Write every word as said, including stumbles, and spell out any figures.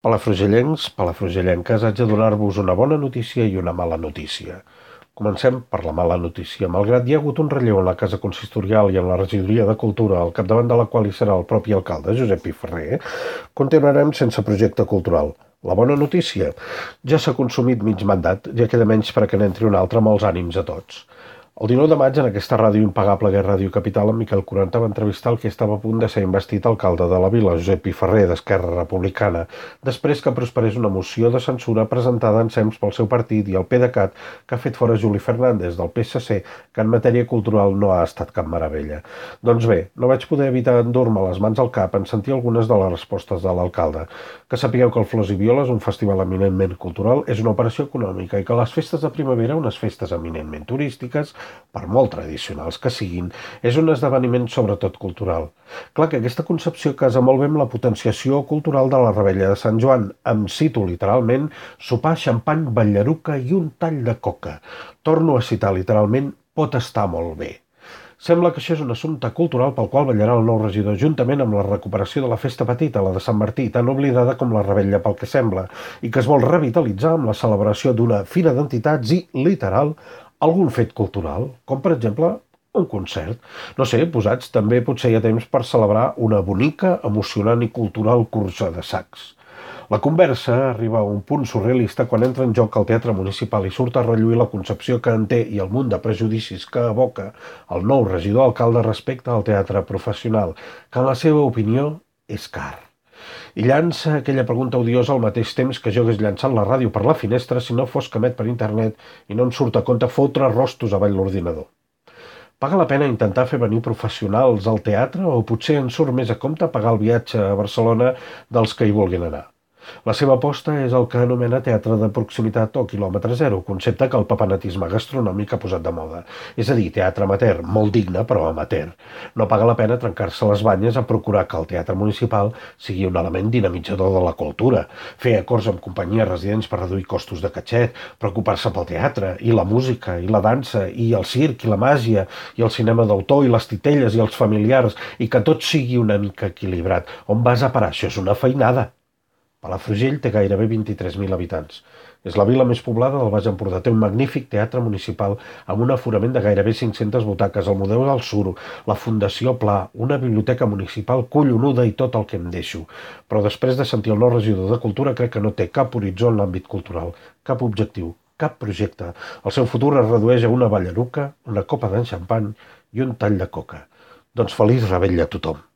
Palafrugellencs, palafrugellenques, haig de donar-vos una bona notícia i una mala notícia. Comencem per la mala notícia. Malgrat hi ha hagut un relleu en la Casa Consistorial i en la Regidoria de Cultura, al capdavant de la qual hi serà el propi alcalde, Josep Pi Ferrer, continuarem sense projecte cultural. La bona notícia? Ja s'ha consumit mig mandat, ja queda menys per a que n'entri un altre amb els ànims a tots. El dinou de maig, en aquesta ràdio impagable que és Ràdio Capital, en Miquel Quaranta va entrevistar el que estava a punt de ser investit alcalde de la vila, Josep Pi Ferrer, d'Esquerra Republicana, després que prosperés una moció de censura presentada ensems pel seu partit i el PDeCAT, que ha fet fora Juli Fernández, del P S C, que en matèria cultural no ha estat cap meravella. Doncs bé, no vaig poder evitar endur-me les mans al cap en sentir algunes de les respostes de l'alcalde. Que sapigueu que el Flors i Violes, un festival eminentment cultural, és una operació econòmica i que les festes de primavera, unes festes eminentment turístiques, per molt tradicionals que siguin, és un esdeveniment sobretot cultural. Clar que aquesta concepció casa molt bé amb la potenciació cultural de la Revetlla de Sant Joan. Em cito literalment: sopar, xampany, ballaruca i un tall de coca. Torno a citar literalment: pot estar molt bé. Sembla que això és un assumpte cultural pel qual ballarà el nou regidor, juntament amb la recuperació de la festa petita, la de Sant Martí, tan oblidada com la Revetlla pel que sembla, i que es vol revitalitzar amb la celebració d'una fira d'entitats i, literal, algun fet cultural, com per exemple un concert. No sé, posats també potser hi ha temps per celebrar una bonica, emocionant i cultural cursa de sacs. La conversa arriba a un punt surrealista quan entra en joc el teatre municipal i surt a relluir la concepció que en té i el munt de prejudicis que evoca el nou regidor alcalde respecte al teatre professional, que en la seva opinió és car. I llança aquella pregunta odiosa al mateix temps que jo hagués llançat la ràdio per la finestra si no fos que emet per internet i no em surt a compte fotre rostos avall l'ordinador. Paga la pena intentar fer venir professionals al teatre o potser en surt més a compte pagar el viatge a Barcelona dels que hi vulguin anar? La seva aposta és el que anomena teatre de proximitat o quilòmetre zero, concepte que el papanatisme gastronòmic ha posat de moda. És a dir, teatre amateur, molt digne però amateur. No paga la pena trencar-se les banyes a procurar que el teatre municipal sigui un element dinamitzador de la cultura, fer acords amb companyies residents per reduir costos de catxet, preocupar-se pel teatre, i la música, i la dansa, i el circ, i la màgia, i el cinema d'autor, i les titelles, i els familiars, i que tot sigui una mica equilibrat. On vas a parar? Això és una feinada. Palafrugell té gairebé vint-i-tres mil habitants. És la vila més poblada del Baix Empordà. Té un magnífic teatre municipal amb un aforament de gairebé cinc-centes butaques, el Museu del Suro, la Fundació Pla, una biblioteca municipal collonuda i tot el que em deixo. Però després de sentir el nou regidor de Cultura crec que no té cap horitzó en l'àmbit cultural, cap objectiu, cap projecte. El seu futur es redueix a una ballaruca, una copa d'enxampany i un tall de coca. Doncs feliç Revetlla a tothom.